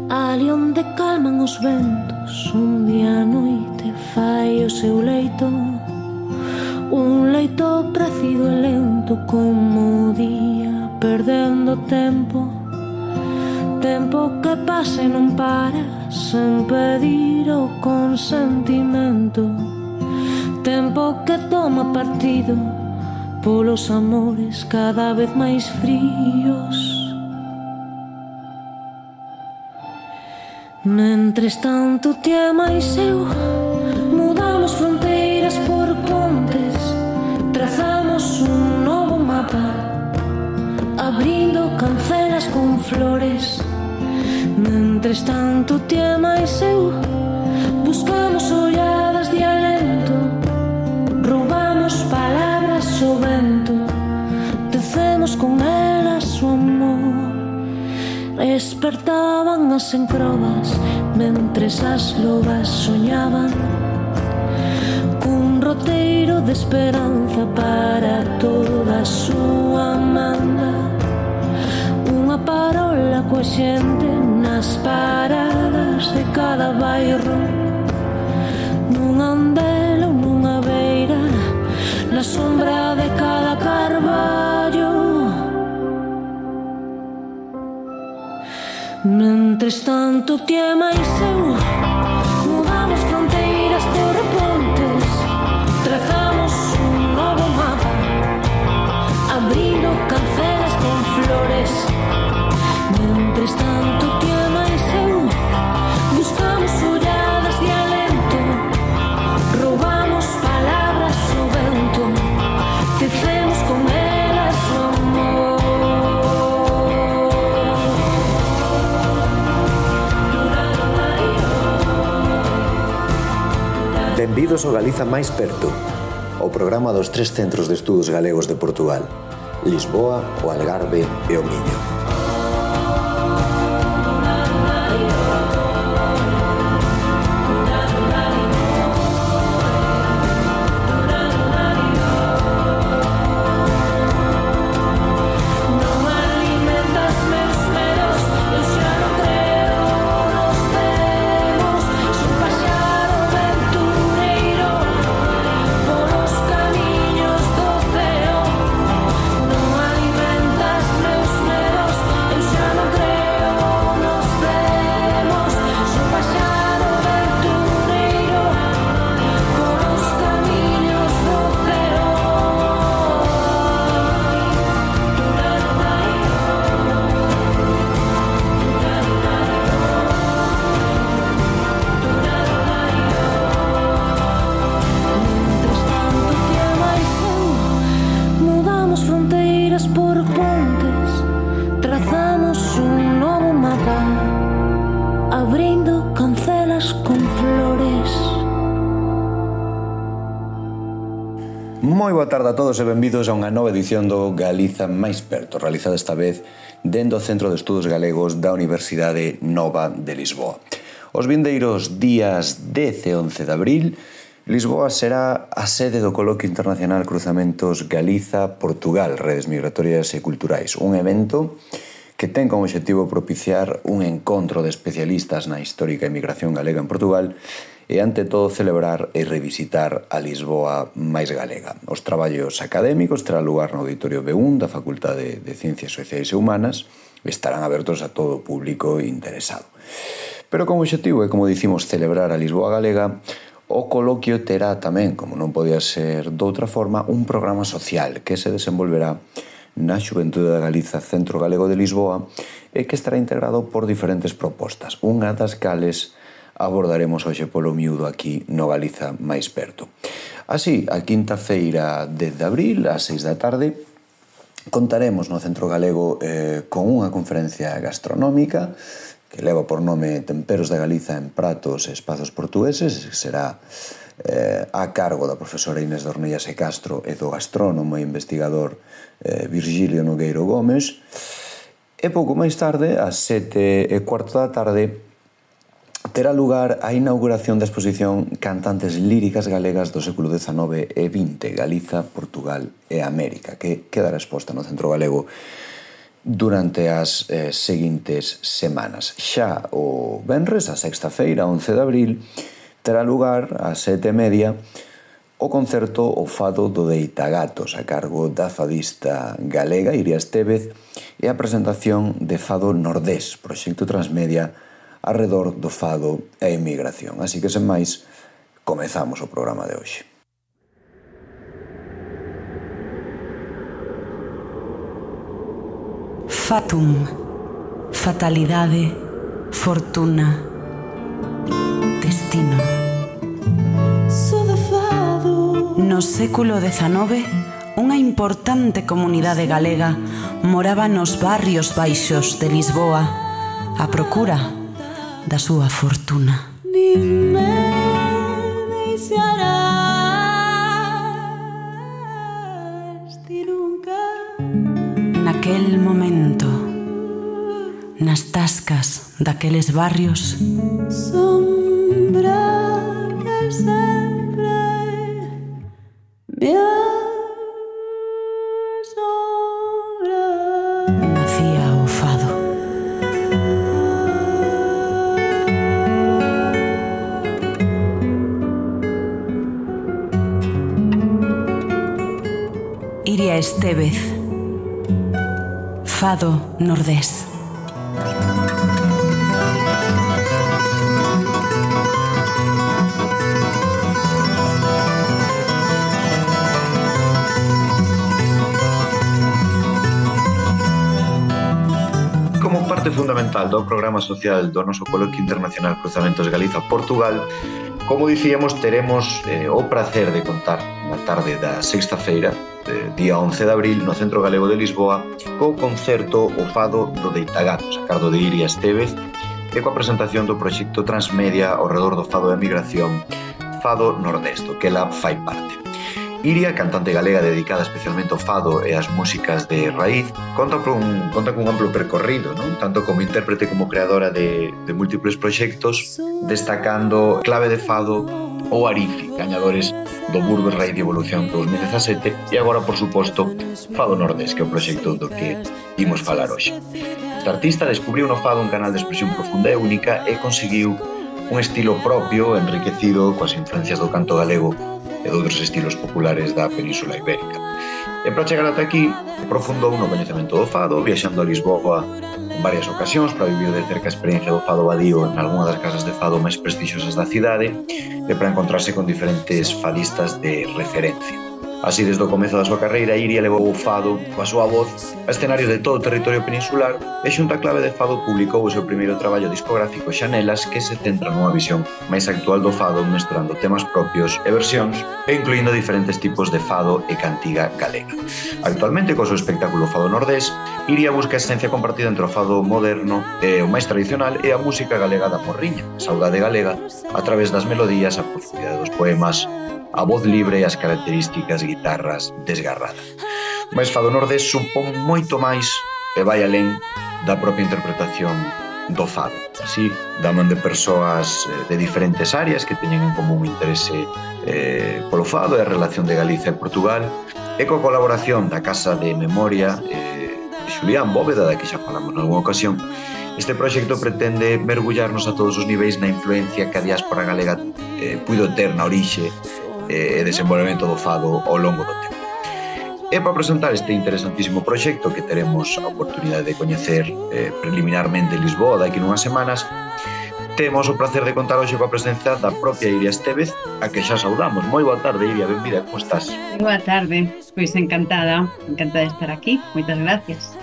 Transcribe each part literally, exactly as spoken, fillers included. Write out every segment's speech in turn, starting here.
Ali onde calman os ventos, un día a noite fai o seu leito, un leito precido e lento como o día, perdendo tempo, tempo que pasa e non para, sen pedir o consentimento, tempo que toma partido polos amores cada vez máis fríos. Mentres tanto ti e máis eu mudamos fronteiras por pontes, trazamos un novo mapa, abrindo cancelas con flores. Mentres tanto ti e máis eu buscamos olladas de alento, roubamos palabras ao vento, tecemos con elas o amor. Despertaban as encrobas mentres as lobas soñaban cun roteiro de esperanza para toda a súa manda, unha parola coa xente nas paradas de cada bairro, nunha andela ou nunha beira, na sombra de cada carballo. Mentres tanto ti e máis eu mudamos fronteiras por pontes, trazamos un novo mapa, abrindo cancelas con flores. Mentres tanto ti e máis eu buscamos olladas de alento, roubamos palabras ao vento, tecemos con elas o amor. Benvidos ao Galiza máis perto, o programa dos tres centros de estudos galegos de Portugal, Lisboa, o Algarve e o Miño. Moi boa tarde a todos e benvidos a unha nova edición do Galiza máis perto, realizada esta vez dentro do Centro de Estudos Galegos da Universidade Nova de Lisboa. Os vindeiros días dez e once de abril, Lisboa será a sede do Coloquio Internacional Cruzamentos Galiza-Portugal, Redes Migratorias e Culturais, un evento que ten como obxectivo propiciar un encontro de especialistas na histórica emigración galega en Portugal e, ante todo, celebrar e revisitar a Lisboa máis galega. Os traballos académicos terán lugar no Auditorio B un da Facultade de Ciencias Sociais e Humanas e estarán abertos a todo o público interesado. Pero como obxectivo é, como dicimos, celebrar a Lisboa galega, o coloquio terá tamén, como non podía ser doutra forma, un programa social que se desenvolverá na Xuventude da Galiza Centro Galego de Lisboa e que estará integrado por diferentes propostas, unha das cales abordaremos hoxe polo miúdo aquí no Galiza máis perto. Así, a quinta feira dez de abril, ás seis da tarde, contaremos no Centro Galego eh, con unha conferencia gastronómica que leva por nome Temperos de Galiza en pratos e espazos portugueses, que será eh, a cargo da profesora Inés de Ornellas e Castro e do gastrónomo e investigador eh, Virgilio Nogueiro Gómez. E pouco máis tarde, ás sete e cuarto da tarde, terá lugar a inauguración da exposición Cantantes líricas galegas do século dezanove e vinte, Galiza, Portugal e América, que quedará exposta no Centro Galego durante as eh, seguintes semanas. Xa o venres, a sexta feira, once de abril, terá lugar a sete e media o concerto O Fado do Deitagatos a cargo da fadista galega Iria Estévez e a presentación de Fado Nordés, proxecto transmedia arredor do fado e a emigración. Así que, sen máis, comezamos o programa de hoxe. Fatum, fatalidade, fortuna, destino. No século dezanove, unha importante comunidade galega moraba nos barrios baixos de Lisboa a procura da súa fortuna. Naquel momento, nas tascas daqueles barrios, sombra que sempre me asombra, nacía o fado. Iria Estévez, Fado Nordés. Como parte fundamental do programa social do noso Coloquio Internacional Cruzamentos Galiza-Portugal, como dicíamos, teremos eh, o prazer de contar na tarde da sexta feira, eh, día once de abril, no Centro Galego de Lisboa, co concerto O Fado do Deitagatos, a cargo de Iria Estévez, e coa presentación do proxecto transmedia ao redor do fado e a migración Fado Nordés, do que ela fai parte. Iria, cantante galega dedicada especialmente ao fado e ás músicas de raíz, conta con, conta con un amplo percorrido, non? Tanto como intérprete como creadora de, de múltiples proxectos, destacando Clave de Fado ou Arifi, gañadores do Burgos Raíz de Evolución dous mil dezasete, e agora, por suposto, Fado Nordés, que é o proxecto do que imos falar hoxe. Esta artista descubriu no fado un canal de expresión profunda e única e conseguiu un estilo propio, enriquecido coas influencias do canto galego e de outros estilos populares da Península Ibérica. E para chegar ata aquí, profundou no coñecemento do fado, viaxando a Lisboa en varias ocasións para vivir de cerca a experiencia do fado vadío en algunha das casas de fado máis prestixiosas da cidade e para encontrarse con diferentes fadistas de referencia. Así, desde o comezo da súa carreira, Iria levou o fado coa súa voz a escenarios de todo o territorio peninsular e xunto a Clave de Fado publicou o seu primeiro traballo discográfico Xanelas, que se centra nunha visión máis actual do fado, mesturando temas propios e versións e incluindo diferentes tipos de fado e cantiga galega. Actualmente, co seu espectáculo Fado Nordés, Iria busca a esencia compartida entre o fado moderno e o máis tradicional e a música galega da morriña, a saudade galega, a través das melodías, a profundidade dos poemas, a voz libre e as características guitarras desgarradas. Mais Fado Nordés supón moito máis e vai alén da propia interpretación do fado. Así, da man de persoas de diferentes áreas que teñen en común interese eh, polo fado e a relación de Galiza e Portugal, e coa colaboración da Casa de Memoria eh, de Xulián Bóveda, da que xa falamos nalgúna ocasión. Este proxecto pretende mergullarnos a todos os niveis na influencia que a diáspora galega eh, puido ter na orixe e desenvolvemento do fado ao longo do tempo. E para presentar este interesantísimo proxecto que teremos a oportunidade de coñecer eh, preliminarmente en Lisboa daqui nunhas semanas, temos o placer de contar hoxe coa presencia da propia Iria Estévez, a que xa saudamos. Moi boa tarde, Iria, benvida, como estás? Boa tarde, pois encantada, encantada de estar aquí, moitas gracias.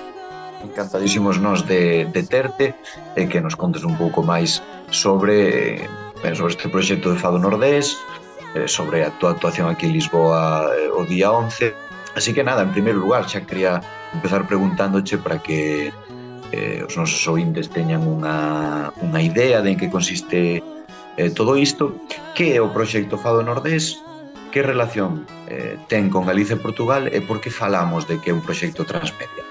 Encantadísimos nós de, de terte e que nos contes un pouco máis sobre, eh, sobre este proxecto de Fado Nordés, sobre a tua actuación aquí en Lisboa o día once. Así que nada, en primeiro lugar, xa quería empezar preguntándoche para que eh, os nosos ointes teñan unha, unha idea de en que consiste eh, todo isto. Que é o proxecto Fado Nordés? Que relación eh, ten con Galicia e Portugal e por que falamos de que é un proxecto transmedia?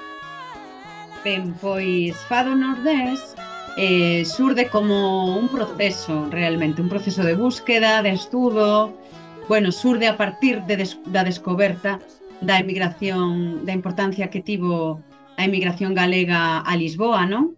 Ben, pois Fado Nordés Eh, surde como un proceso, realmente, un proceso de búsqueda, de estudo, bueno, surde a partir de des, da descoberta da emigración, da importancia que tivo a emigración galega a Lisboa, non?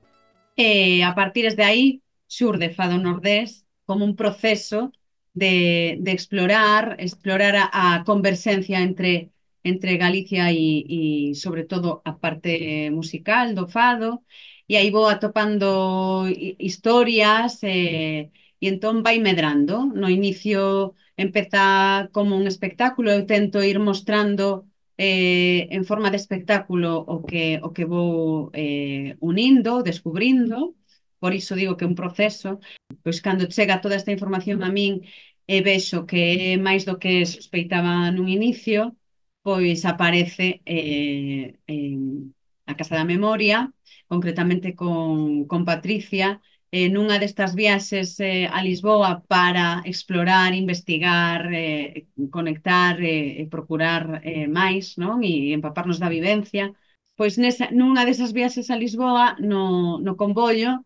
E a partir de aí xurde Fado Nordés como un proceso de, de explorar, explorar a, a conversencia entre, entre Galicia e, e, sobre todo, a parte musical do fado, e aí vou atopando historias, e, e entón vai medrando. No inicio empeza como un espectáculo, eu tento ir mostrando eh, en forma de espectáculo o que, o que vou eh, unindo, descubrindo, por iso digo que é un proceso. Pois cando chega toda esta información a min e vexo que é máis do que sospeitaba nun inicio, pois aparece eh, en a Casa da Memoria, concretamente con, con Patricia, eh, nunha destas viaxes eh, a Lisboa para explorar, investigar, eh, conectar eh, e procurar eh, máis, non? E empaparnos da vivencia. Pois nesa, nunha desas viaxes a Lisboa, no, no convollo,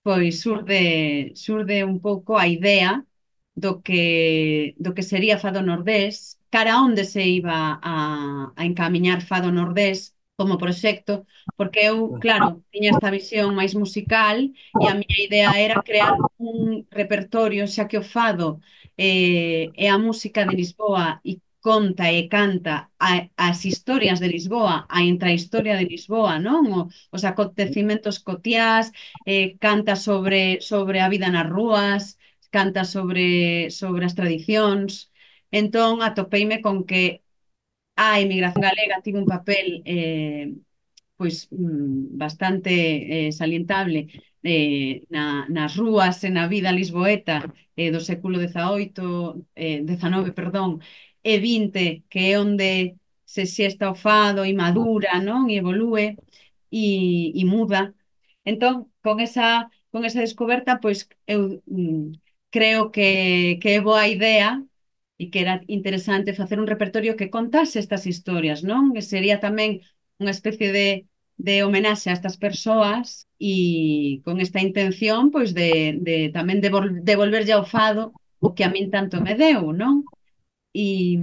pois surde, surde un pouco a idea do que, do que sería Fado Nordés, cara onde se iba a, a encamiñar Fado Nordés como proxecto, porque eu, claro, tiña esta visión máis musical e a miña idea era crear un repertorio, xa que o fado eh, é a música de Lisboa e conta e canta a, as historias de Lisboa, a intrahistoria de Lisboa, non? O, os acontecimentos cotiás, eh, canta sobre, sobre a vida nas rúas, canta sobre, sobre as tradicións. Entón, atopeime con que a emigración galega tivo un papel eh, pois mm, bastante eh, salientable eh, na, nas rúas e na vida lisboeta eh, do século dezaoito, eh, dezanove, perdón, e vinte, que é onde se xesta o fado e madura, non? E evolúe e, e muda. Entón, con esa, con esa descoberta, pois eu mm, creo que, que é boa idea e que era interesante facer un repertorio que contase estas historias, non? Que sería tamén unha especie de, de homenaxe a estas persoas e con esta intención pois de, de tamén devol, devolverlle ao fado o que a min tanto me deu, non? E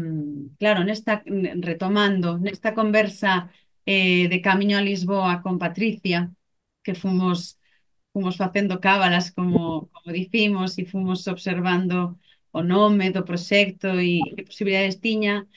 claro, nesta retomando, nesta conversa eh, de camiño a Lisboa con Patricia, que fomos fomos facendo cábalas como, como dicimos e fomos observando o nome do proxecto e que posibilidades tiña.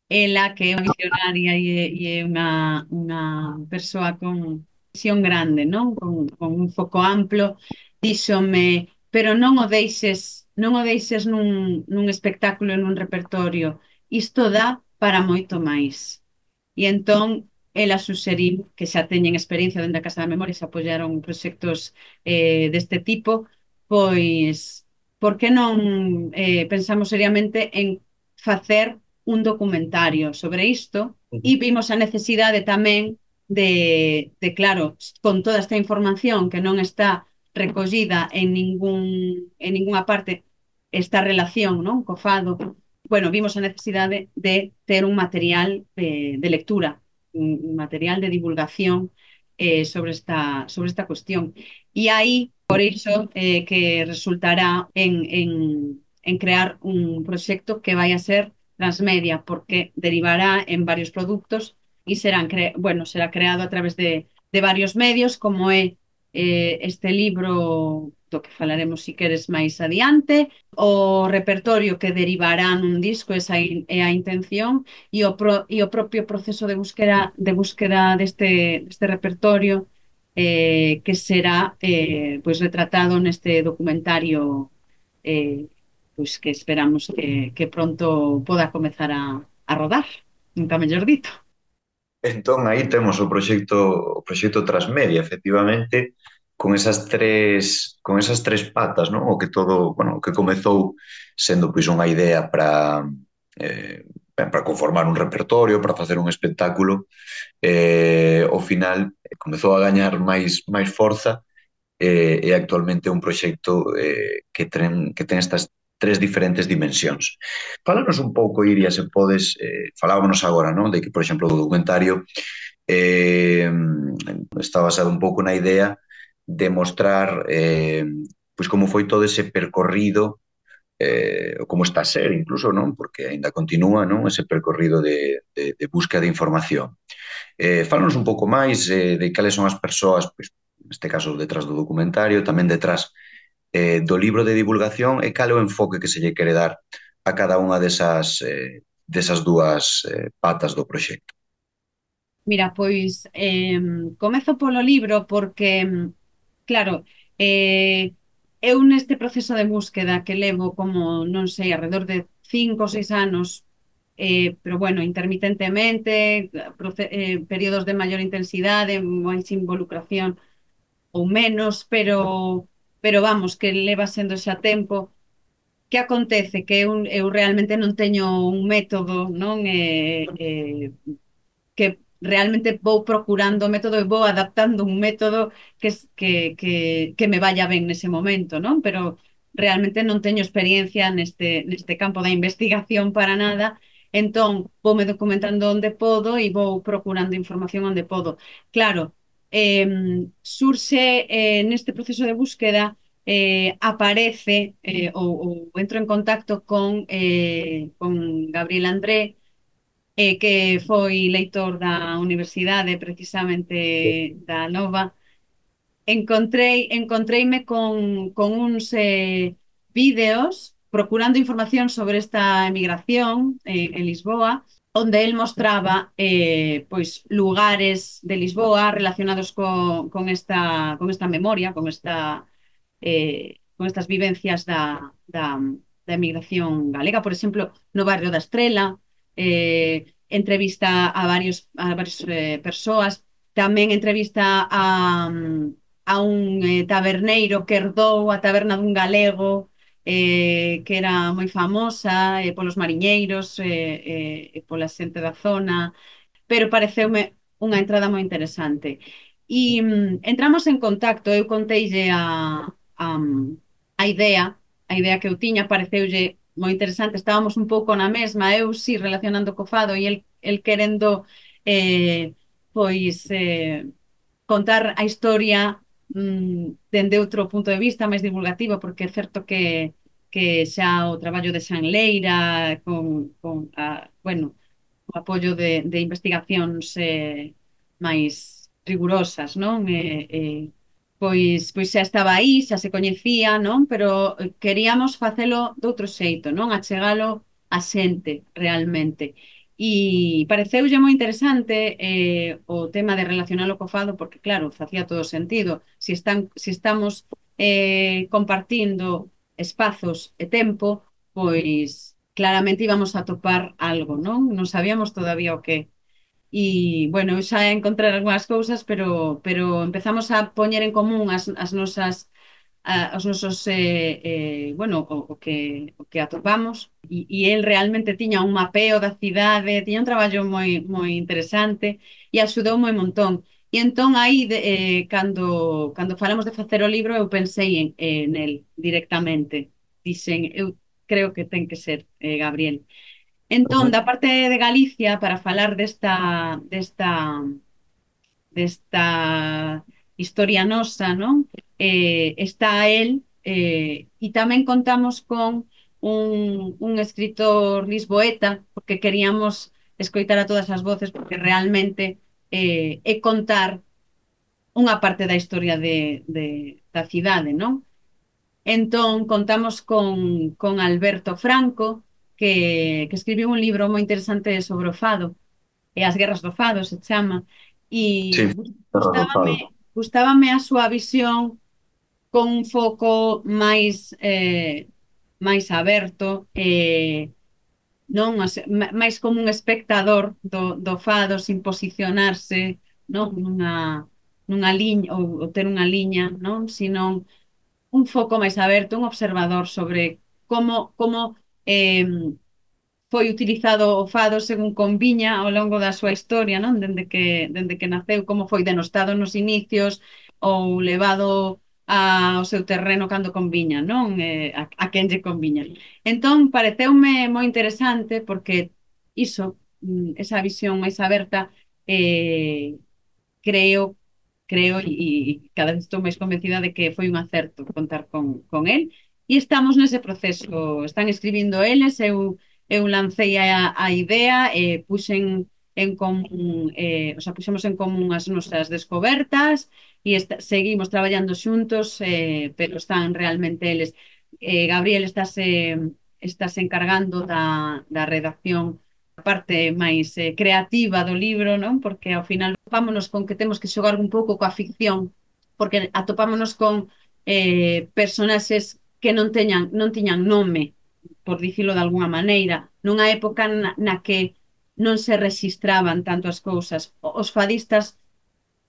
Ela, que é unha visionaria e é, e é unha, unha persoa con visión grande, non? Con, con un foco amplo, díxome, pero non o deixes, non o deixes nun, nun espectáculo, nun repertorio. Isto dá para moito máis. E entón, ela suxeriu que xa teñen experiencia dentro da Casa da Memoria, se apoiaron proxectos eh, deste tipo, pois, por que non eh, pensamos seriamente en facer un documentario sobre isto e vimos a necesidade tamén de, de, claro, con toda esta información que non está recollida en ningún en ninguna parte, esta relación, non, co fado, bueno, vimos a necesidade de ter un material de, de lectura, un material de divulgación eh, sobre, esta, sobre esta cuestión. E aí, por iso, eh, que resultará en, en, en crear un proxecto que vai a ser transmedia, porque derivará en varios produtos e serán cre bueno, será creado a través de, de varios medios, como é eh, este libro do que falaremos si queres máis adiante, o repertorio que derivará nun disco, esa é a intención, e o, pro, e o propio proceso de búsqueda, de búsqueda deste, deste repertorio eh, que será eh, pois retratado neste documentario eh, pois que esperamos que, que pronto poda comezar a, a rodar, nunca mellor dito. Entón, aí temos o proxecto o proxecto Transmedia, efectivamente, con esas tres con esas tres patas, non? O que todo, bueno, o que comezou sendo pois unha idea para eh, para conformar un repertorio, para facer un espectáculo, eh, ao final comezou a gañar máis máis forza eh, e actualmente é un proxecto eh, que ten que ten estas tres diferentes dimensións. Fálanos un pouco, Iria, se podes, eh, falábamos agora, non? De que, por exemplo, o documentario eh, está basado un pouco na idea de mostrar eh, pois como foi todo ese percorrido eh, ou como está a ser incluso, non? Porque aínda continúa, non? Ese percorrido de, de, de busca de información. Eh, fálanos un pouco máis eh, de cales son as persoas, pois, neste caso detrás do documentario, tamén detrás eh, do libro de divulgación e cal é o enfoque que se lle quere dar a cada unha desas, eh, desas dúas eh, patas do proxecto. Mira, pois eh, comezo polo libro porque, claro, eh, eu neste proceso de búsqueda que levo como, non sei, alrededor de cinco ou seis anos, eh, pero bueno, intermitentemente, proce- eh, períodos de maior intensidade, máis involucración ou menos, pero, pero vamos, que leva sendo xa tempo. Que acontece? Que eu, eu realmente non teño un método, non? Eh, eh, que realmente vou procurando o método e vou adaptando un método que, que, que, que me vaya ben nese momento, non? Pero realmente non teño experiencia neste, neste campo da investigación para nada, entón voume documentando onde podo e vou procurando información onde podo. Claro, eh, surxe eh, neste proceso de búsqueda eh, aparece eh, ou, ou entro en contacto con, eh, con Gabriel André, eh, que foi leitor da universidade precisamente da Nova. Encontrei, encontreime con, con uns eh, vídeos procurando información sobre esta emigración eh, en Lisboa, onde el mostraba eh, pois lugares de Lisboa relacionados co, con, esta, con esta memoria, con esta eh, con estas vivencias da, da, da emigración galega. Por exemplo, no barrio da Estrela, eh, entrevista a varios a varias eh, persoas, tamén entrevista a, a un eh, taberneiro que herdou a taberna dun galego eh, que era moi famosa eh, polos mariñeiros eh, eh, e pola xente da zona, pero pareceume unha entrada moi interesante. E mm, entramos en contacto, eu conteille a, a, a idea, a idea que eu tiña, pareceulle moi interesante, estábamos un pouco na mesma, eu sí relacionando co fado e el, el querendo eh, pois eh, contar a historia mm, dende outro punto de vista máis divulgativo, porque é certo que que xa o traballo de Xan Leira con, con a, bueno, o apoio de, de investigacións eh, máis rigurosas, non? Eh, eh, pois, pois xa estaba aí, xa se coñecía, non? Pero eh, queríamos facelo de outro xeito, non? Achegalo a xente realmente. E pareceulle moi interesante eh, o tema de relacionalo co fado, porque claro, facía todo sentido. Si, están, si estamos eh, compartindo espazos e tempo, pois claramente íbamos a topar algo, non? Non sabíamos todavía o que. E, bueno, eu xa encontrar algunhas cousas, pero, pero empezamos a poñer en común as, as nosas a, os nosos eh, eh, bueno, o, o que o que atopamos e, e el realmente tiña un mapeo da cidade, tiña un traballo moi moi interesante e axudoume un montón. E entón aí de, eh, cando cando falamos de facer o libro eu pensei en, en el directamente. Dixen, eu creo que ten que ser eh, Gabriel. Entón, Ujú. da parte de Galicia, para falar desta, desta, desta historia nosa, non? Eh, está el eh, e tamén contamos con un, un escritor lisboeta, porque queríamos escoitar a todas as voces, porque realmente eh, é contar unha parte da historia de, de, da cidade, non? Entón, contamos con, con Alberto Franco, que, que escribiu un libro moi interesante sobre o fado, e as guerras do fado se chama, Sí, e Terra do gustábame, Fado. gustábame a súa visión con un foco máis eh, máis aberto, eh, non as, máis como un espectador do, do fado sin posicionarse non nunha, nunha liña ou, ou ter unha liña, non, sino un foco máis aberto, un observador sobre como como eh, foi utilizado o fado según conviña ao longo da súa historia, non? Dende que, dende que naceu, como foi denostado nos inicios ou levado ao seu terreno cando conviña, non? Eh, a, a quen lle conviña. Entón, pareceume moi interesante porque iso, mm, esa visión máis aberta, eh, creo, creo e, e cada vez estou máis convencida de que foi un acerto contar con, con él e estamos nese proceso, están escribindo eles, eu, eu lancei a, a idea, e puxen en común, eh, o sea, puxemos en común as nosas descobertas e esta, seguimos traballando xuntos, eh, pero están realmente eles. Eh, Gabriel estase, estase encargando da, da redacción, a parte máis eh, creativa do libro, non? Porque ao final topámonos con que temos que xogar un pouco coa ficción, porque atopámonos con eh, personaxes que non teñan non tiñan nome, por dicilo de alguna maneira, nunha época na, na que non se registraban tanto as cousas. Os fadistas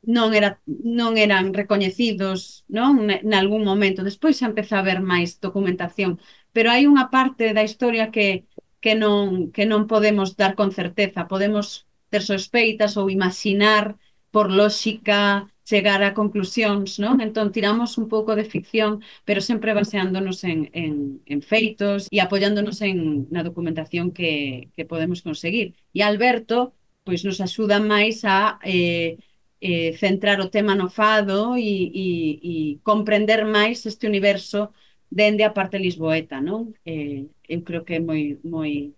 non, era, non eran recoñecidos, non? Nalgún momento. Despois xa empeza a haber máis documentación, pero hai unha parte da historia que, que, non, que non podemos dar con certeza. Podemos ter sospeitas ou imaginar por lógica chegar a conclusións, non? Entón tiramos un pouco de ficción, pero sempre baseándonos en, en, en feitos e apoiándonos en, na documentación que, que podemos conseguir. E Alberto, pois nos axuda máis a eh, eh, centrar o tema no fado e, e, e comprender máis este universo dende a parte lisboeta, non? Eh, eu creo que é moi, moi,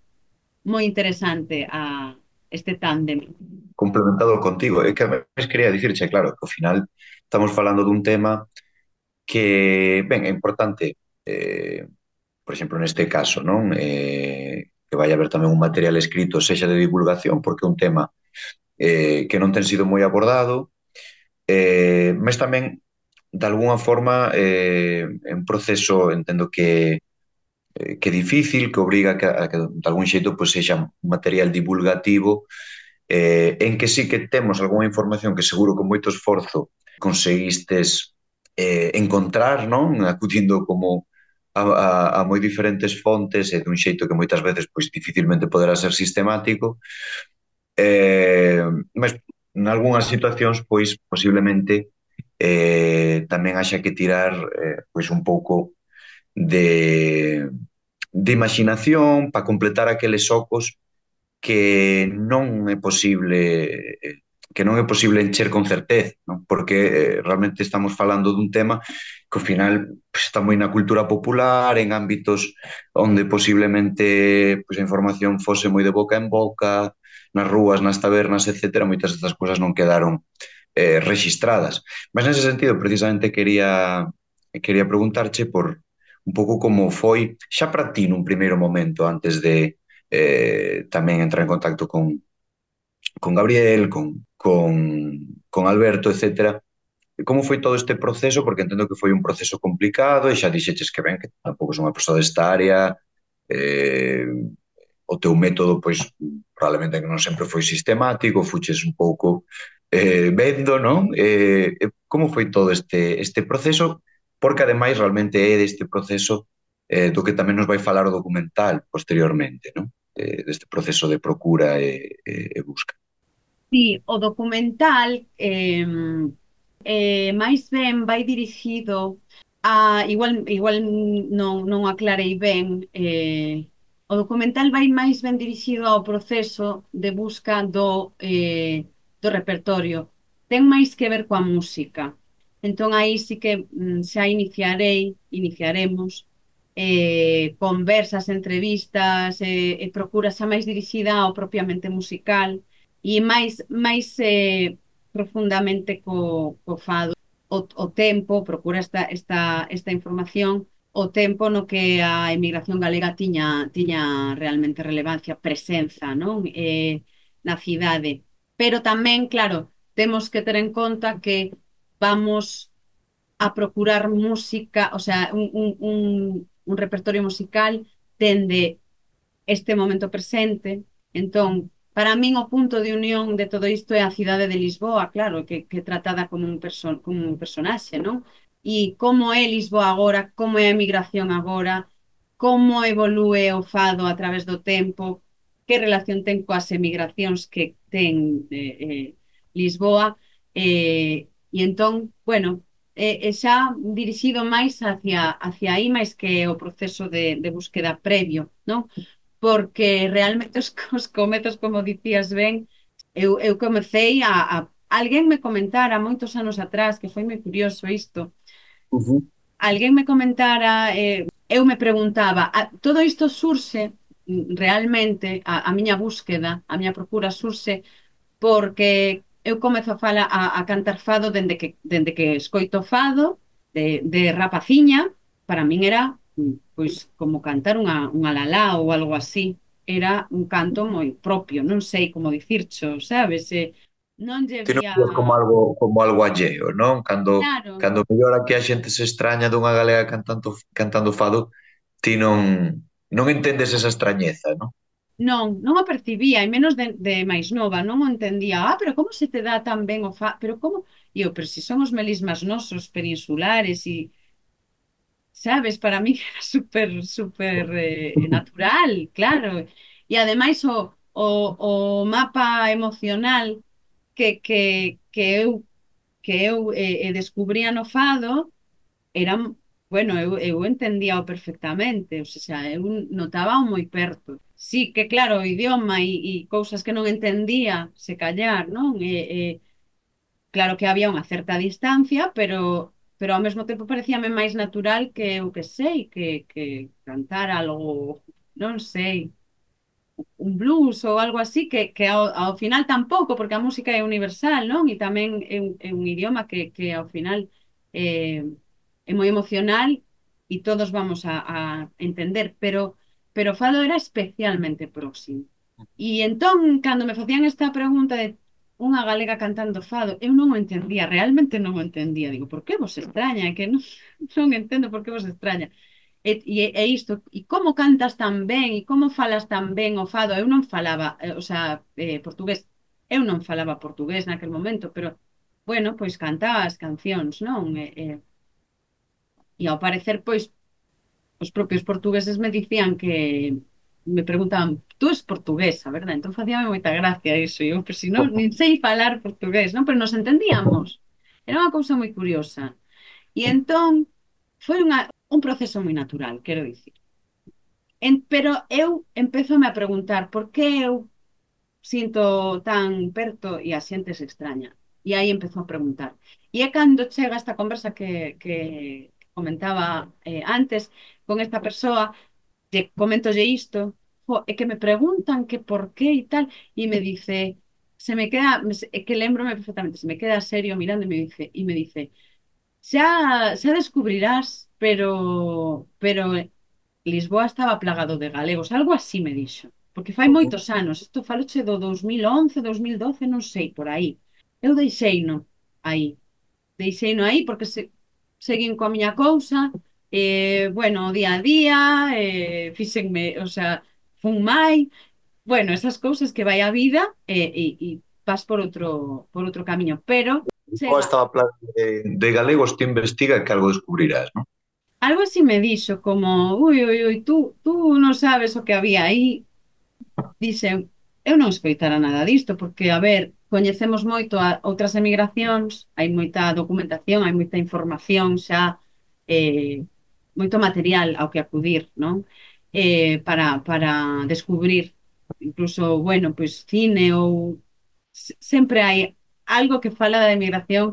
moi interesante a este tándem. Complementado contigo, é que a vez quería dicirche, claro, que ao final estamos falando dun tema que, ben, é importante, eh, por exemplo, neste caso, non? Eh, que vai haber tamén un material escrito, sexa de divulgación, porque é un tema eh, que non ten sido moi abordado, eh, mas tamén, de alguna forma, eh, é un proceso, entendo que eh, que é difícil, que obriga a que, a que de algún xeito pois, sexa un material divulgativo eh, en que sí que temos algunha información que seguro con moito esforzo conseguistes eh, encontrar, non? Acudindo como a, a, a moi diferentes fontes e dun xeito que moitas veces pois dificilmente poderá ser sistemático, eh, mas en algunhas situacións pois posiblemente eh, tamén haxa que tirar eh, pois un pouco de, de imaginación para completar aqueles ocos que non é posible eh, que non é posible encher con certeza, non? Porque eh, realmente estamos falando dun tema que ao final pues, está moi na cultura popular, en ámbitos onde posiblemente pues, a información fose moi de boca en boca, nas rúas, nas tabernas, etcétera, moitas destas cousas non quedaron eh, registradas. Mas nese sentido, precisamente, quería quería preguntarche por un pouco como foi xa para ti nun primeiro momento antes de eh, tamén entrar en contacto con, con Gabriel, con, con, con Alberto, etcétera. Como foi todo este proceso? Porque entendo que foi un proceso complicado e xa dixeches que ben, que tampouco son unha persoa desta área, eh, o teu método, pois, probablemente que non sempre foi sistemático, fuches un pouco eh, vendo, non? Eh, como foi todo este, este proceso? Porque, ademais, realmente é deste proceso eh, do que tamén nos vai falar o documental posteriormente, non? De, deste proceso de procura e, e, e busca. Sí, o documental eh, eh, máis ben vai dirixido a, igual, igual non, non aclarei ben, eh, o documental vai máis ben dirixido ao proceso de busca do, eh, do repertorio. Ten máis que ver coa música. Entón aí sí que mm, xa iniciarei, iniciaremos eh, conversas, entrevistas, eh, e procura xa máis dirixida ao propiamente musical e máis, máis eh, profundamente co, co fado. O, o tempo, procura esta, esta, esta información, o tempo no que a emigración galega tiña, tiña realmente relevancia, presenza, non? Eh, na cidade. Pero tamén, claro, temos que ter en conta que vamos a procurar música, o sea, un, un, un, un repertorio musical dende este momento presente. Entón, para min o punto de unión de todo isto é a cidade de Lisboa, claro, que, que tratada como un, perso como un personaxe, non? E como é Lisboa agora, como é a emigración agora, como evolúe o fado a través do tempo, que relación ten coas emigracións que ten eh, eh, Lisboa, eh, e entón, bueno, e, e xa dirixido máis hacia, hacia aí, máis que o proceso de, de búsqueda previo, non? Porque realmente os, os cometas, como dicías ben, eu, eu comecei a, a... Alguén me comentara moitos anos atrás, que foi moi curioso isto, Uh -huh. alguén me comentara, eh, eu me preguntaba, a, todo isto surxe mm, realmente, a, a miña búsqueda, a miña procura surxe porque eu comezo a fala a, a cantar fado dende que, dende que escoito fado de, de rapaciña, para min era mm, pois como cantar unha, unha lalá ou algo así. Era un canto moi propio, non sei como dicircho, sabes? Eh, non lle Ti non vía... vías como algo como algo alleo, non? Cando Claro, cando mellor aquí a xente se extraña dunha galega cantando cantando fado, ti non non entendes esa extrañeza, non? non, non o percibía, e menos de, de máis nova, non o entendía. Ah, pero como se te dá tan ben o fa... Pero como... E eu, pero se son os melismas nosos peninsulares e, sabes, para mí era súper, súper eh, natural, claro. E ademais o, o, o mapa emocional que, que, que eu, que eu eh, eh, descubría no fado era, bueno, eu, eu entendía perfectamente, o sea, eu notaba moi perto. Sí, que claro, o idioma e, e cousas que non entendía, se callar, non? E, e, claro que había unha certa distancia, pero pero ao mesmo tempo parecíame máis natural que eu que sei, que, que cantar algo, non sei, un blues ou algo así, que, que ao, ao final tampouco, porque a música é universal, non? E tamén é un, é un idioma que, que ao final eh, é moi emocional e todos vamos a, a entender, pero, pero o fado era especialmente próximo. E entón, cando me facían esta pregunta de unha galega cantando fado, eu non o entendía, realmente non o entendía. Digo, por que vos extraña? É que non, non entendo por que vos extraña. E, e, e isto, e como cantas tan ben, e como falas tan ben o fado, eu non falaba, eh, o sea, eh, portugués, eu non falaba portugués naquel momento, pero, bueno, pois cantaba as cancións, non? E, e, e ao parecer, pois, os propios portugueses me dicían que, me preguntaban, tú es portuguesa, verdad? Entón facíame moita gracia iso, e eu, pero si non, nin sei falar portugués, non? Pero nos entendíamos. Era unha cousa moi curiosa. E entón, foi unha, un proceso moi natural, quero dicir. En, pero eu empezome a preguntar por que eu sinto tan perto e a xente se extraña. E aí empezou a preguntar. E é cando chega esta conversa que, que comentaba eh, antes con esta persoa, lle comentolle isto, jo, e que me preguntan que por qué e tal, e me dice, se me queda, é que lembrome perfectamente, se me queda serio mirando e me dice, e me dice, xa, xa descubrirás, pero, pero Lisboa estaba plagado de galegos, algo así me dixo. Porque fai moitos anos, isto faloche do dos mil once, dos mil doce, non sei, por aí. Eu deixeino aí, deixeino aí porque se, seguín coa miña cousa, eh, bueno, o día a día, eh, fíxenme, o sea, fun mai, bueno, esas cousas que vai a vida e, e, e vas por outro, por outro camiño, pero Ou chega, estaba plan de, de galegos, ti investiga que algo descubrirás, non? algo así me dixo, como, ui, ui, ui, tú, tú non sabes o que había aí. Dixen, eu non escoitara nada disto, porque, a ver, coñecemos moito a outras emigracións, hai moita documentación, hai moita información xa, eh, moito material ao que acudir, non? Eh, para, para descubrir, incluso, bueno, pois cine ou se- sempre hai algo que fala da emigración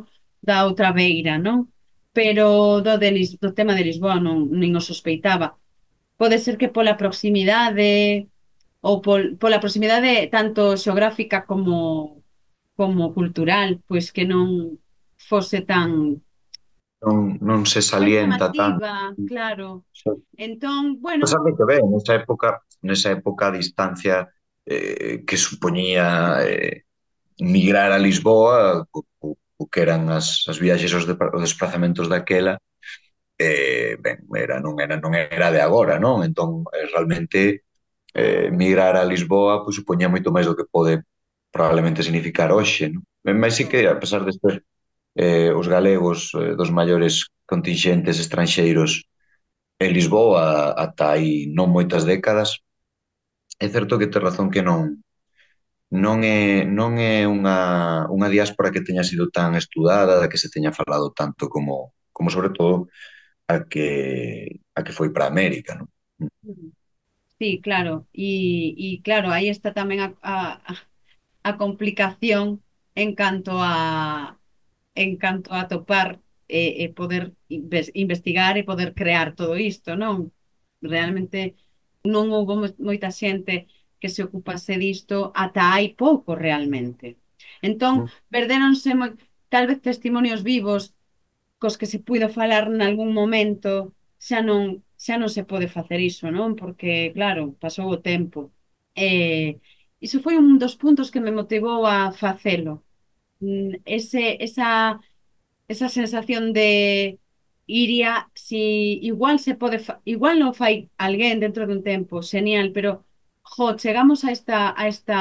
da outra beira, non? Pero do, de Lis, do tema de Lisboa non, nin o sospeitaba. Pode ser que pola proximidade ou pol, pola proximidade tanto xeográfica como como cultural, pois que non fose tan Non non se tan salienta tanto. llamativa, claro. Entón, bueno, Pues sabe que ben, nesa época, nesa época a distancia eh, que supoñía eh, migrar a Lisboa, o, o, o que eran as, as viaxes os, de, os desplazamentos daquela, eh, ben, era, non era non era de agora, non? Entón, eh, realmente eh, migrar a Lisboa pois, supoñía moito máis do que pode probablemente significar hoxe, non? Ben, mas sí que, a pesar de ser eh, os galegos eh, dos maiores contingentes estranxeiros en Lisboa ata hai non moitas décadas, é certo que tes razón que non non é non é unha unha diáspora que teña sido tan estudada, da que se teña falado tanto como como sobre todo a que a que foi para América, non? sí, claro. E, e claro, aí está tamén a, a, a complicación en canto a en canto a topar e, e poder inves- investigar e poder crear todo isto, non? realmente non houve mo- moita xente que se ocupase disto ata hai pouco realmente. Entón, perdéronse moi, tal vez testimonios vivos cos que se puido falar nalgún momento, xa non, xa non se pode facer iso, non? Porque, claro, pasou o tempo. Eh, iso foi un dos puntos que me motivou a facelo. Mm, Ese, esa, esa sensación de iría, si igual se pode, fa- igual non fai alguén dentro dun tempo, genial, pero jo, chegamos a esta, a esta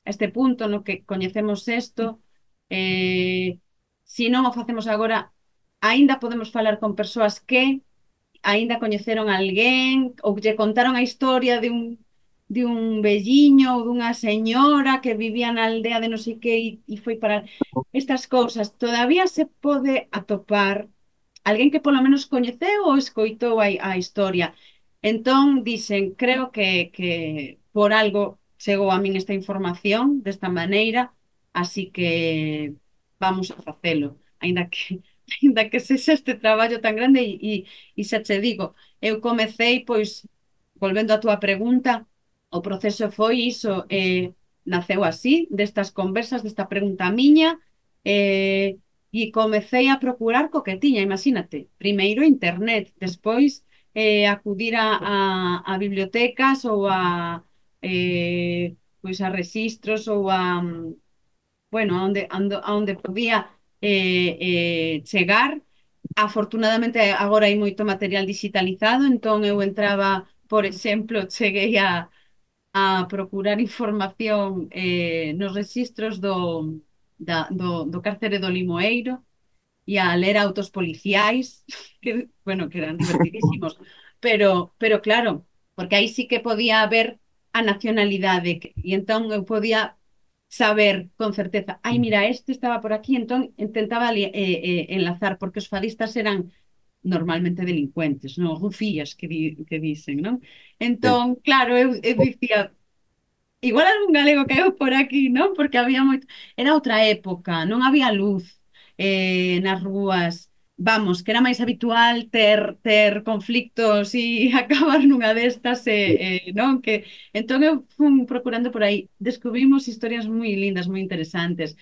a este punto no que coñecemos isto, eh, se non o facemos agora, aínda podemos falar con persoas que aínda coñeceron a alguén ou lle contaron a historia de un de un velliño ou dunha señora que vivía na aldea de non sei que e, e foi para estas cousas. Todavía se pode atopar alguén que polo menos coñeceu ou escoitou a, a historia. Entón, dicen, creo que, que por algo chegou a min esta información desta maneira, así que vamos a facelo, aínda que aínda que sexa este traballo tan grande e, e, e xa che digo, eu comecei, pois, volvendo á túa pregunta, o proceso foi iso, eh, naceu así, destas conversas, desta pregunta miña, eh, e comecei a procurar co que tiña, imagínate, primeiro internet, despois eh, acudir a, a, a bibliotecas ou a eh, pois a registros ou a bueno, a onde, ando, a onde podía eh, eh, chegar. Afortunadamente agora hai moito material digitalizado, entón eu entraba, por exemplo, cheguei a, a procurar información eh, nos registros do, da, do, do cárcere do Limoeiro e a ler autos policiais, que, bueno, que eran divertidísimos, pero, pero claro, porque aí sí que podía haber a nacionalidade, que- e entón eu podía saber con certeza, ai, mira, este estaba por aquí, entón intentaba li- eh, eh, enlazar, porque os fadistas eran normalmente delincuentes, non? Rufías que, di, que dicen, non? Sí. Entón, claro, eu, eu dicía, igual algún galego caeu por aquí, non? Porque había moito... Era outra época, non había luz eh, nas rúas. Vamos, que era máis habitual ter, ter conflictos e acabar nunha destas, e, eh, non? Que, entón eu fun procurando por aí. Descubrimos historias moi lindas, moi interesantes.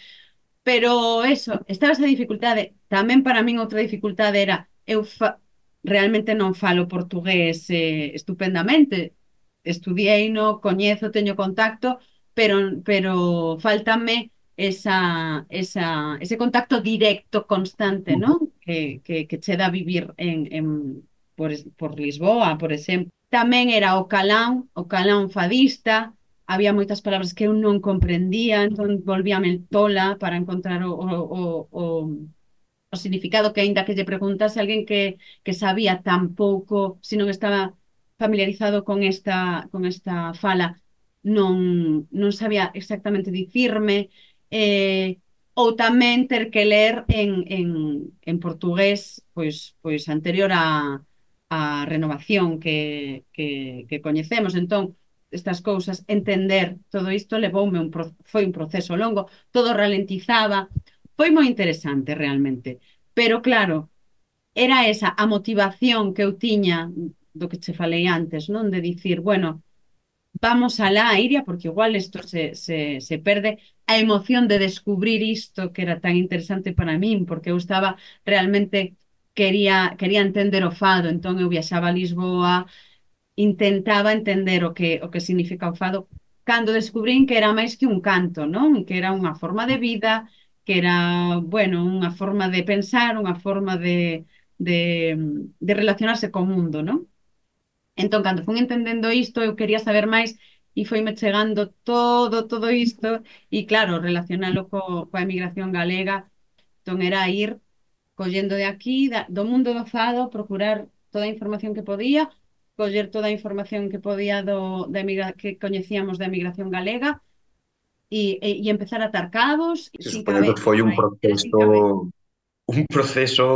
Pero eso, estaba esa dificultade. Tamén para min outra dificultade era eu fa realmente non falo portugués eh, estupendamente. Estudiei no, coñezo, teño contacto, pero pero faltame esa, esa, ese contacto directo, constante, ¿no? Que, que, que che dá vivir en, en, por, por Lisboa, por exemplo. Tamén era o calán, o calán fadista, había moitas palabras que eu non comprendía, entón volvíame tola para encontrar o, o, o, o, o significado que aínda que lle preguntase a alguén que, que sabía tan pouco, se non estaba familiarizado con esta, con esta fala, non, non sabía exactamente dicirme, eh, ou tamén ter que ler en, en, en portugués pois, pois anterior a, a renovación que, que, que coñecemos. Entón, estas cousas, entender todo isto levoume un, pro- foi un proceso longo, todo ralentizaba, foi moi interesante realmente. Pero claro, era esa a motivación que eu tiña do que che falei antes, non? De dicir, bueno, vamos alá, Iria, porque igual isto se, se, se perde a emoción de descubrir isto que era tan interesante para min, porque eu estaba realmente quería, quería entender o fado, entón eu viaxaba a Lisboa, intentaba entender o que, o que significa o fado, cando descubrín que era máis que un canto, non? Que era unha forma de vida, que era, bueno, unha forma de pensar, unha forma de, de, de relacionarse co mundo, non? Entón, cando fun entendendo isto, eu quería saber máis e foime chegando todo, todo isto, e claro, relacionalo co, coa emigración galega, entón era ir collendo de aquí, da, do mundo do fado, procurar toda a información que podía, coller toda a información que podía do, da emigra, que coñecíamos da emigración galega e, e, e empezar a atar cabos Se sin supoño que cabeza, foi por un aí, era sin proceso cabeza. un proceso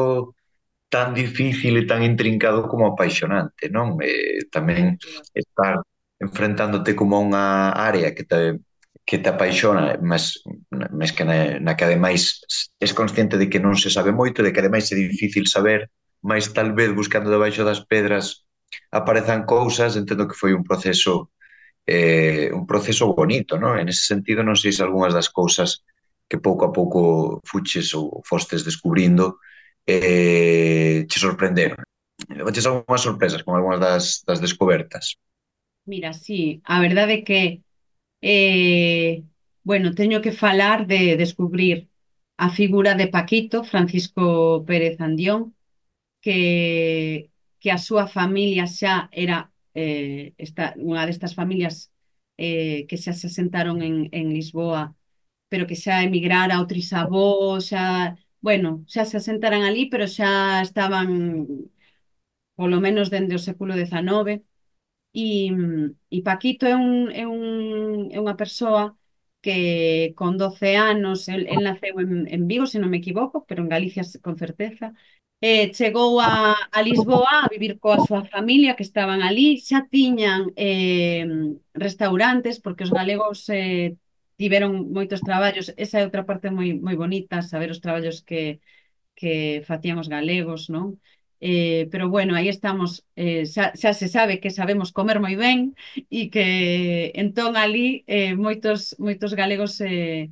tan difícil e tan intrincado como apaixonante, non? Eh, tamén estar enfrentándote como a unha área que te que te apaixona, mas, mas que na, na que ademais és consciente de que non se sabe moito, de que ademais é difícil saber, mas tal vez buscando debaixo das pedras aparezan cousas, entendo que foi un proceso eh, un proceso bonito, non? En ese sentido, non sei se algunhas das cousas que pouco a pouco fuches ou fostes descubrindo eh, che sorprenderon. Levaches algunhas sorpresas con algunhas das, das descobertas. Mira, sí, a verdade é que, eh, bueno, teño que falar de descubrir a figura de Paquito, Francisco Pérez Andión, que, que a súa familia xa era eh, esta, unha destas familias eh, que xa se asentaron en, en Lisboa, pero que xa emigrara ao Trisabó, xa, bueno, xa se asentaran ali, pero xa estaban polo menos dende o século dezanoveno. E, e Paquito é, un, é, un, é unha persoa que con doce anos, el, el naceu en, en Vigo, se non me equivoco, pero en Galicia con certeza, eh, chegou a, a Lisboa a vivir coa súa familia que estaban ali, xa tiñan eh, restaurantes, porque os galegos eh, tiveron moitos traballos, esa é outra parte moi, moi bonita, saber os traballos que, que facían os galegos, non? Eh, pero bueno, aí estamos, eh, xa, xa se sabe que sabemos comer moi ben e que entón ali eh, moitos, moitos galegos eh,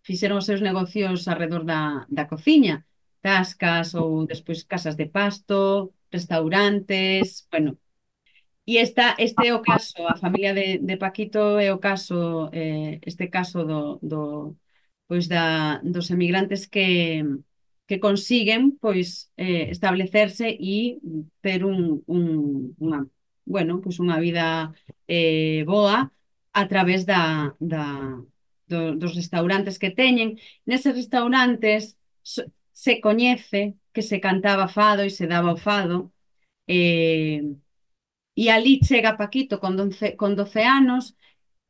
fixeron os seus negocios alrededor da, da cociña, tascas ou despois casas de pasto, restaurantes, bueno, e esta, este é o caso, a familia de, de Paquito é o caso, eh, este caso do, do, pois da, dos emigrantes que, que consiguen pois eh, establecerse e ter un, un, unha, bueno, pois unha vida eh, boa a través da, da, do, dos restaurantes que teñen. Neses restaurantes so- se coñece que se cantaba fado e se daba o fado, eh, e ali chega Paquito con doce, con doce anos,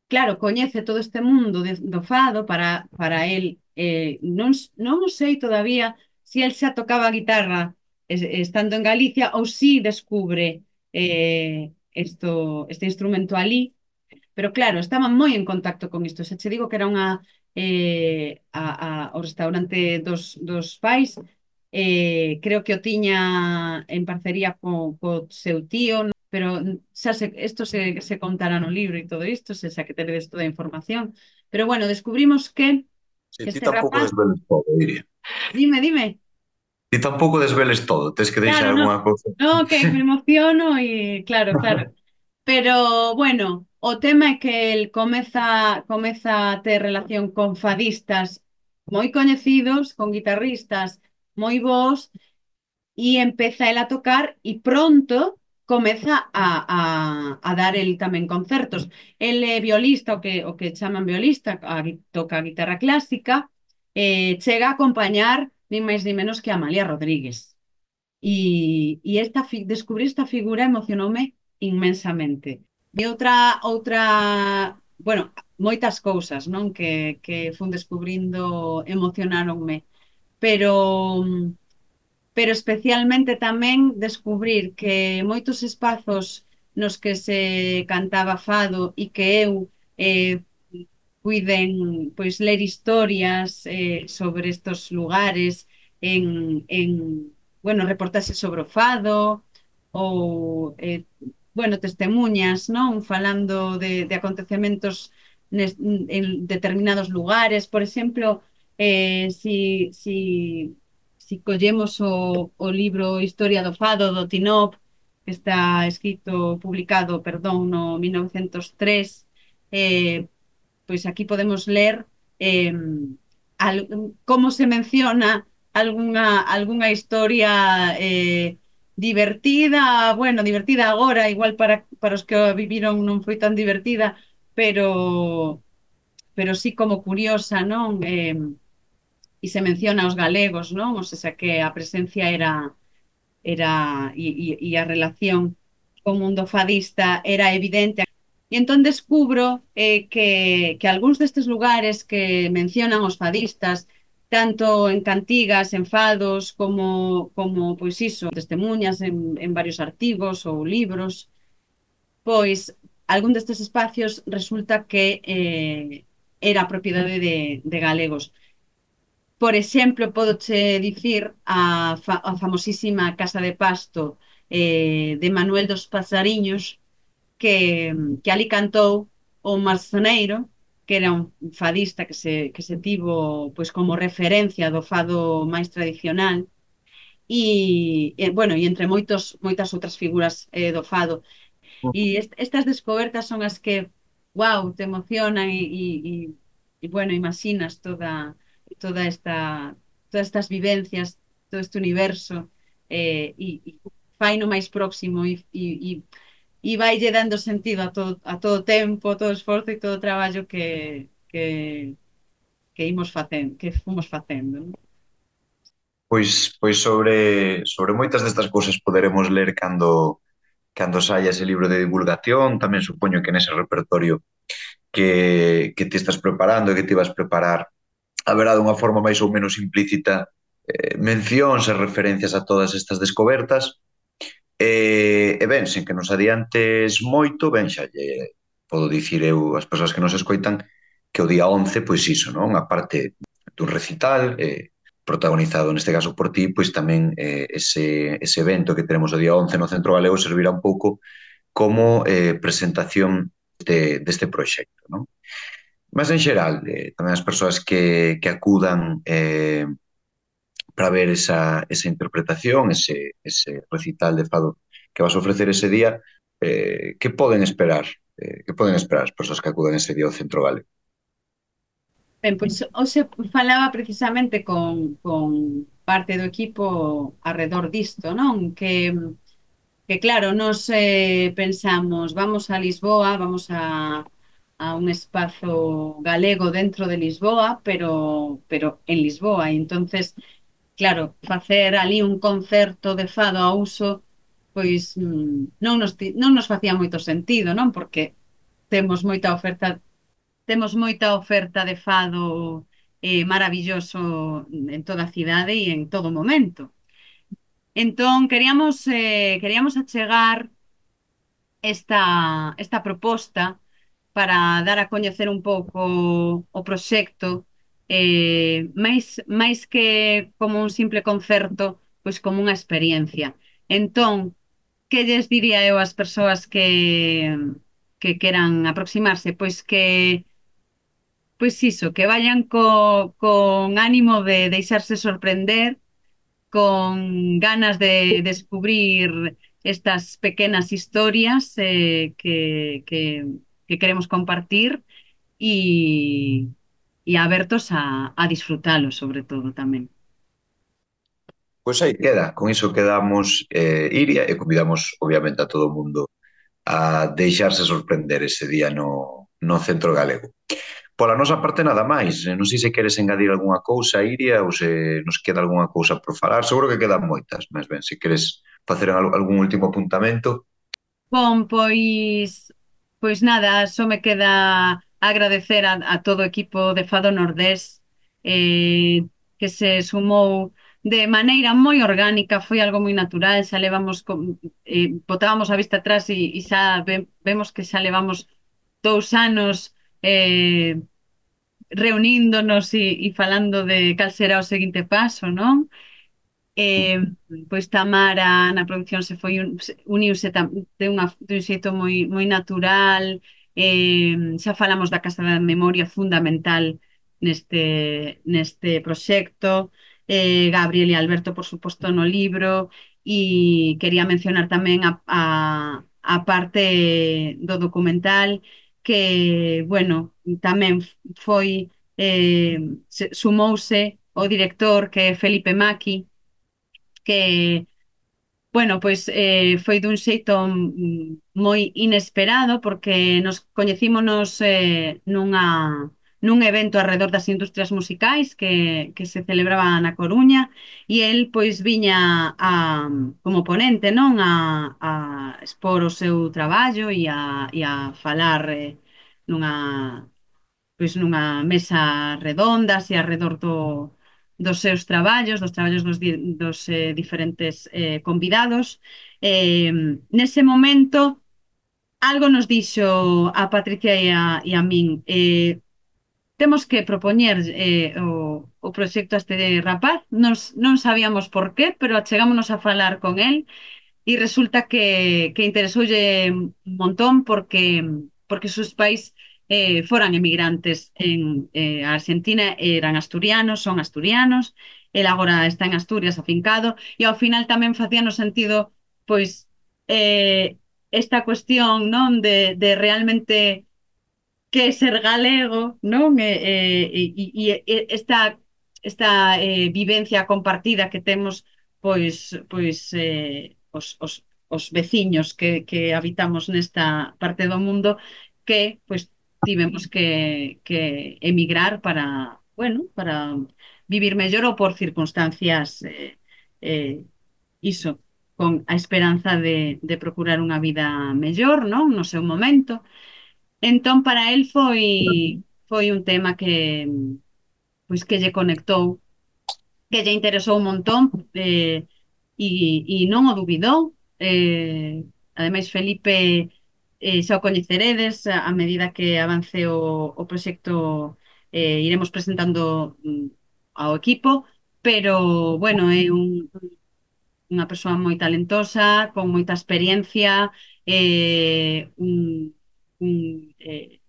claro, coñece todo este mundo de, do fado para, para el. Eh, non, non o sei todavía se el xa tocaba a guitarra es- estando en Galicia ou si descubre eh, esto, este instrumento ali, pero claro, estaba moi en contacto con isto. Se che digo que era unha eh, a, a, o restaurante dos, dos pais, eh, creo que o tiña en parcería co, co seu tío, pero xa se, isto se, se contará no libro e todo isto, se xa que teredes toda a información. Pero bueno, descubrimos que, Sí, que ti este tampouco rapaz, desveles todo, diría. dime, dime, Ti tampouco desveles todo, tens que deixar claro, no, algunha cousa. no, que me emociono e claro, claro. Pero bueno, o tema é que el comeza, comeza a ter relación con fadistas moi coñecidos, con guitarristas moi bons, e empeza el a tocar e pronto comeza a, a, a dar el tamén concertos. El é violista, o que, o que chaman violista, a, gui- toca a guitarra clásica, eh, chega a acompañar ni máis ni menos que a Amalia Rodríguez. E, e esta, fi- descubrir esta figura emocionoume inmensamente. E outra, outra, bueno, moitas cousas, non? Que, que fun descubrindo emocionáronme, pero pero especialmente tamén descubrir que moitos espazos nos que se cantaba fado e que eu eh, puiden pois ler historias eh, sobre estos lugares en, en bueno, reportaxes sobre o fado ou eh, bueno, testemuñas, non? Falando de, de acontecementos nes, en determinados lugares, por exemplo, eh, si, si si collemos o, o libro Historia do Fado do Tinop, que está escrito, publicado, perdón, no mil novecentos e tres, eh, pois aquí podemos ler eh, al, como se menciona algunha, algunha historia eh, divertida, bueno, divertida agora, igual para, para os que a viviron non foi tan divertida, pero pero sí como curiosa, non? Eh, e se menciona aos galegos, non? O sea, que a presencia era era e, e, e a relación co mundo fadista era evidente. E entón descubro eh, que, que algúns destes lugares que mencionan os fadistas, tanto en cantigas, en fados, como, como pois iso, testemunhas en, en varios artigos ou libros, pois algún destes espacios resulta que eh, era propiedade de, de galegos. Por exemplo, podoche dicir a, fa a famosísima Casa de Pasto eh, de Manuel dos Pasariños, que, que ali cantou o Marzoneiro, que era un fadista que se, que se tivo pois, como referencia do fado máis tradicional, e, e bueno, e entre moitos, moitas outras figuras eh, do fado. E est estas descobertas son as que, wow, te emocionan e, e, e, e bueno, imaginas toda, toda esta, todas estas vivencias, todo este universo, eh, e, e fai no máis próximo e, e, e, e vaille dando sentido a todo, a todo tempo, a todo esforzo e todo o traballo que, que, que imos facendo, que fomos facendo, non? Pois, pois sobre, sobre moitas destas cousas poderemos ler cando, cando saia ese libro de divulgación, tamén supoño que nese repertorio que, que te estás preparando e que te vas preparar haberá dunha forma máis ou menos implícita eh, mencións e referencias a todas estas descobertas. E, e ben, sen que nos adiantes moito, ben, xa lle podo dicir eu ás persoas que nos escoitan que o día once, pois iso, non? A parte dun recital, eh, protagonizado neste caso por ti, pois tamén eh, ese, ese evento que tenemos o día once no Centro Galego servirá un pouco como eh, presentación de, deste proxecto, non? Mas en xeral, eh, tamén as persoas que, que acudan eh, para ver esa, esa interpretación, ese, ese recital de fado que vas a ofrecer ese día, eh, que poden esperar? Eh, que poden esperar as persoas que acudan ese día ao Centro Galego? Ben, pois hoxe falaba precisamente con, con parte do equipo arredor disto, non? Que, que claro, nos eh, pensamos, vamos a Lisboa, vamos a, a un espazo galego dentro de Lisboa, pero, pero en Lisboa. E entonces, claro, facer ali un concerto de fado a uso, pois mm, non nos, ti- non nos facía moito sentido, non? Porque temos moita oferta temos moita oferta de fado eh, maravilloso en toda a cidade e en todo momento. Entón, queríamos, eh, queríamos achegar esta, esta proposta para dar a coñecer un pouco o proxecto, eh, máis, máis que como un simple concerto, pois como unha experiencia. Entón, que lles diría eu ás persoas que, que queran aproximarse? Pois que Pois iso, que vayan co, con ánimo de deixarse sorprender, con ganas de descubrir estas pequenas historias eh, que, que, que queremos compartir e, e abertos a, a disfrutalo, sobre todo tamén. Pois aí queda, con iso quedamos, eh, Iria, e convidamos obviamente a todo o mundo a deixarse sorprender ese día no, no Centro Galego. Pola nosa parte nada máis. Eh, Non sei se queres engadir algunha cousa, Iria, ou se nos queda algunha cousa por falar. Seguro que quedan moitas, mas ben, se queres facer al- algún último apuntamento. Bom, pois, pois nada, só me queda agradecer a, a todo o equipo de Fado Nordés eh, que se sumou de maneira moi orgánica, foi algo moi natural, xa levamos, con, eh, botábamos a vista atrás e, e xa ve, vemos que xa levamos dous anos eh, reuníndonos e, e falando de cal será o seguinte paso, non? Eh, pois Tamara na produción se foi un, se- uniuse tam, de, unha, de un xeito moi, moi natural, eh, xa falamos da Casa da Memoria fundamental neste, neste proxecto, eh, Gabriel e Alberto por suposto no libro, e quería mencionar tamén a, a, a parte do documental que, bueno, tamén foi eh, se- sumouse o director que é Felipe Maki, que, bueno, pois eh, foi dun xeito mm, moi inesperado porque nos coñecímonos eh, nunha, nun evento alrededor das industrias musicais que, que se celebraba na Coruña e el pois viña a, como ponente, non? A, a expor o seu traballo e a, e a falar eh, nunha pois nunha mesa redonda, así alrededor do, dos seus traballos, dos traballos dos, di- dos eh, diferentes eh, convidados. Eh, nese momento, algo nos dixo a Patricia e a, e a min. Eh, temos que propoñer eh, o, o proxecto a este rapaz. Nos, non sabíamos por qué, pero achegámonos a falar con el y resulta que, que interesoulle un montón porque, porque sus pais eh, foran emigrantes en eh, Argentina, eran asturianos, son asturianos, el agora está en Asturias afincado, e ao final tamén facía no sentido, pois, eh, esta cuestión, non, de, de realmente que é ser galego, non? E, e, e, e esta, esta eh, vivencia compartida que temos, pois, pois eh, os, os, os veciños que, que habitamos nesta parte do mundo, que pois tivemos que, que emigrar para, bueno, para vivir mellor ou por circunstancias eh, eh, iso, con a esperanza de, de procurar unha vida mellor, non? No seu momento. Entón, para el foi foi un tema que pois que lle conectou, que lle interesou un montón, eh, e, e non o dubidou. Eh, ademais, Felipe, eh, xa o coñeceredes a, a medida que avance o, o proxecto, eh, iremos presentando mm, ao equipo, pero, bueno, é un, unha persoa moi talentosa, con moita experiencia, eh, un, un, eh,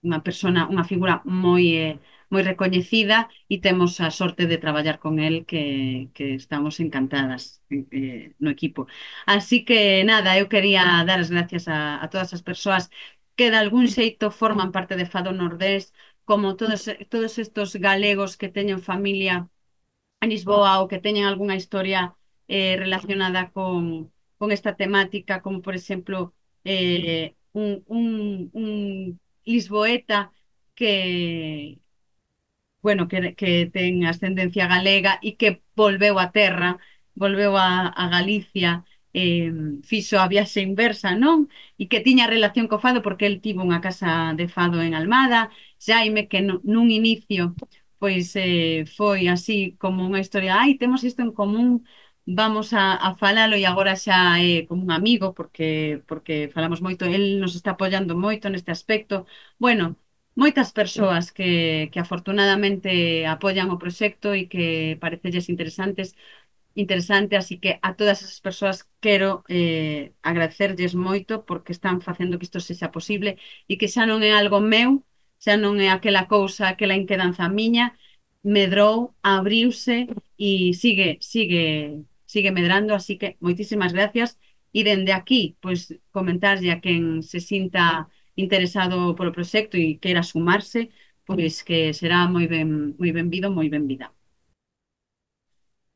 unha persona, unha figura moi eh, moi recoñecida, e temos a sorte de traballar con el, que, que estamos encantadas eh, no equipo. Así que nada, eu quería dar as gracias a, a todas as persoas que de algún xeito forman parte de Fado Nordés, como todos, todos estos galegos que teñen familia en Lisboa ou que teñen algunha historia eh, relacionada con, con esta temática, como por exemplo eh, un, un, un lisboeta que, bueno, que, que ten ascendencia galega e que volveu a terra, volveu a, a Galicia, eh, fixo a viaxe inversa, non? E que tiña relación co fado porque el tivo unha casa de fado en Almada. Xaime, que no, nun inicio pois eh, foi así como unha historia, ai, temos isto en común, vamos a, a falalo, e agora xa é como un amigo porque, porque falamos moito, el nos está apoiando moito neste aspecto. Bueno, moitas persoas que, que afortunadamente apoian o proxecto e que parecelles interesantes, interesante, así que a todas esas persoas quero eh, agradecerlles moito porque están facendo que isto sexa posible e que xa non é algo meu, xa non é aquela cousa, aquela inquedanza miña, medrou, abriuse e sigue, sigue, sigue medrando, así que moitísimas gracias. E dende aquí, pois, comentarlle a quen se sinta interesado polo proxecto e queira sumarse, pois que será moi ben, moi benvido, moi benvida.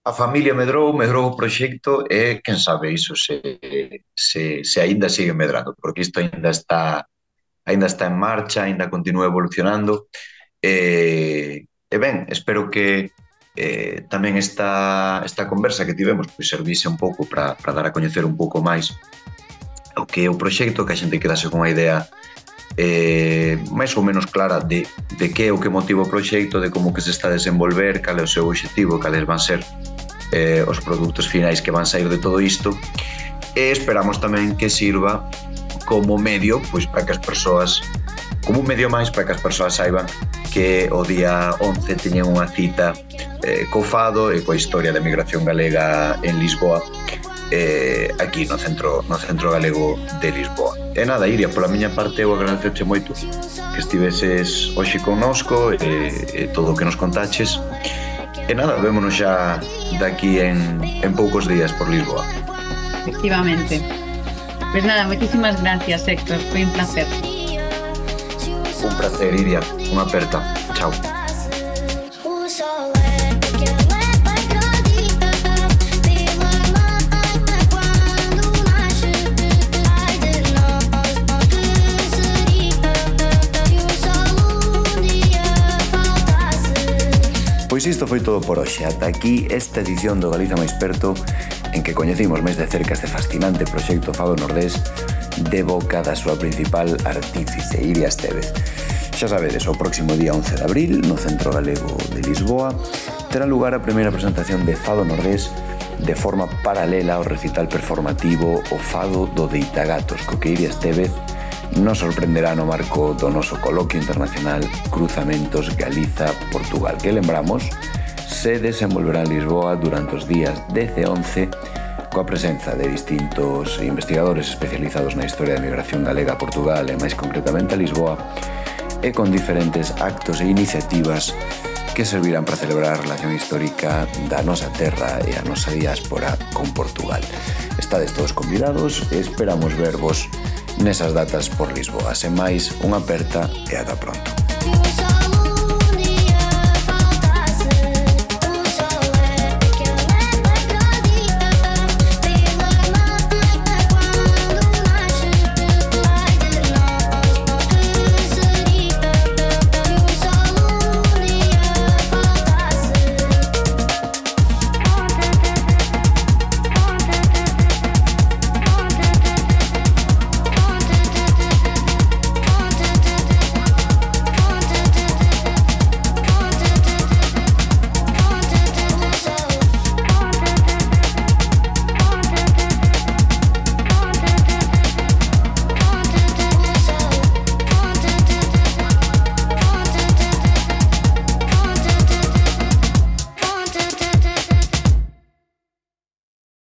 A familia medrou, medrou o proxecto e, quen sabe, iso se, se, se aínda sigue medrando, porque isto aínda está aínda está en marcha, aínda continúa evolucionando. E, e ben, espero que eh, tamén esta, esta conversa que tivemos pois servise un pouco para dar a coñecer un pouco máis o que é o proxecto, que a xente quedase con unha idea eh, máis ou menos clara de, de que é o que motiva o proxecto, de como que se está a desenvolver, cal é o seu objetivo, cales van ser eh, os produtos finais que van sair de todo isto, e esperamos tamén que sirva como medio, pois para que as persoas, como un medio máis para que as persoas saiban que o día once teñen unha cita eh, co fado e coa historia da migración galega en Lisboa, eh, aquí no centro, no centro galego de Lisboa. E nada, Iria, pola miña parte eu agradecerche moito que estiveses hoxe connosco e, e todo o que nos contaches. E nada, vémonos xa daqui en, en poucos días por Lisboa. Efectivamente. Pues nada, moitísimas gracias, Héctor, foi un placer. Un placer, Iria, unha aperta. Chao. Pois isto foi todo por hoxe. Ata aquí esta edición do Galiza máis perto, en que coñecimos máis de cerca este fascinante proxecto Fado Nordés de boca da súa principal artífice, Iria Estévez. Xa sabedes, o próximo día once de abril, no Centro Galego de Lisboa, terá lugar a primeira presentación de Fado Nordés de forma paralela ao recital performativo O Fado do Deitagatos, co que Iria Estévez nos sorprenderá no marco do noso coloquio internacional Cruzamentos Galiza-Portugal, que lembramos se desenvolverá en Lisboa durante os días dez e once, coa presenza de distintos investigadores especializados na historia da migración galega a Portugal e máis concretamente a Lisboa, e con diferentes actos e iniciativas que servirán para celebrar a relación histórica da nosa terra e a nosa diáspora con Portugal. Estades todos convidados e esperamos vervos nesas datas por Lisboa. Sen máis, unha aperta e ata pronto.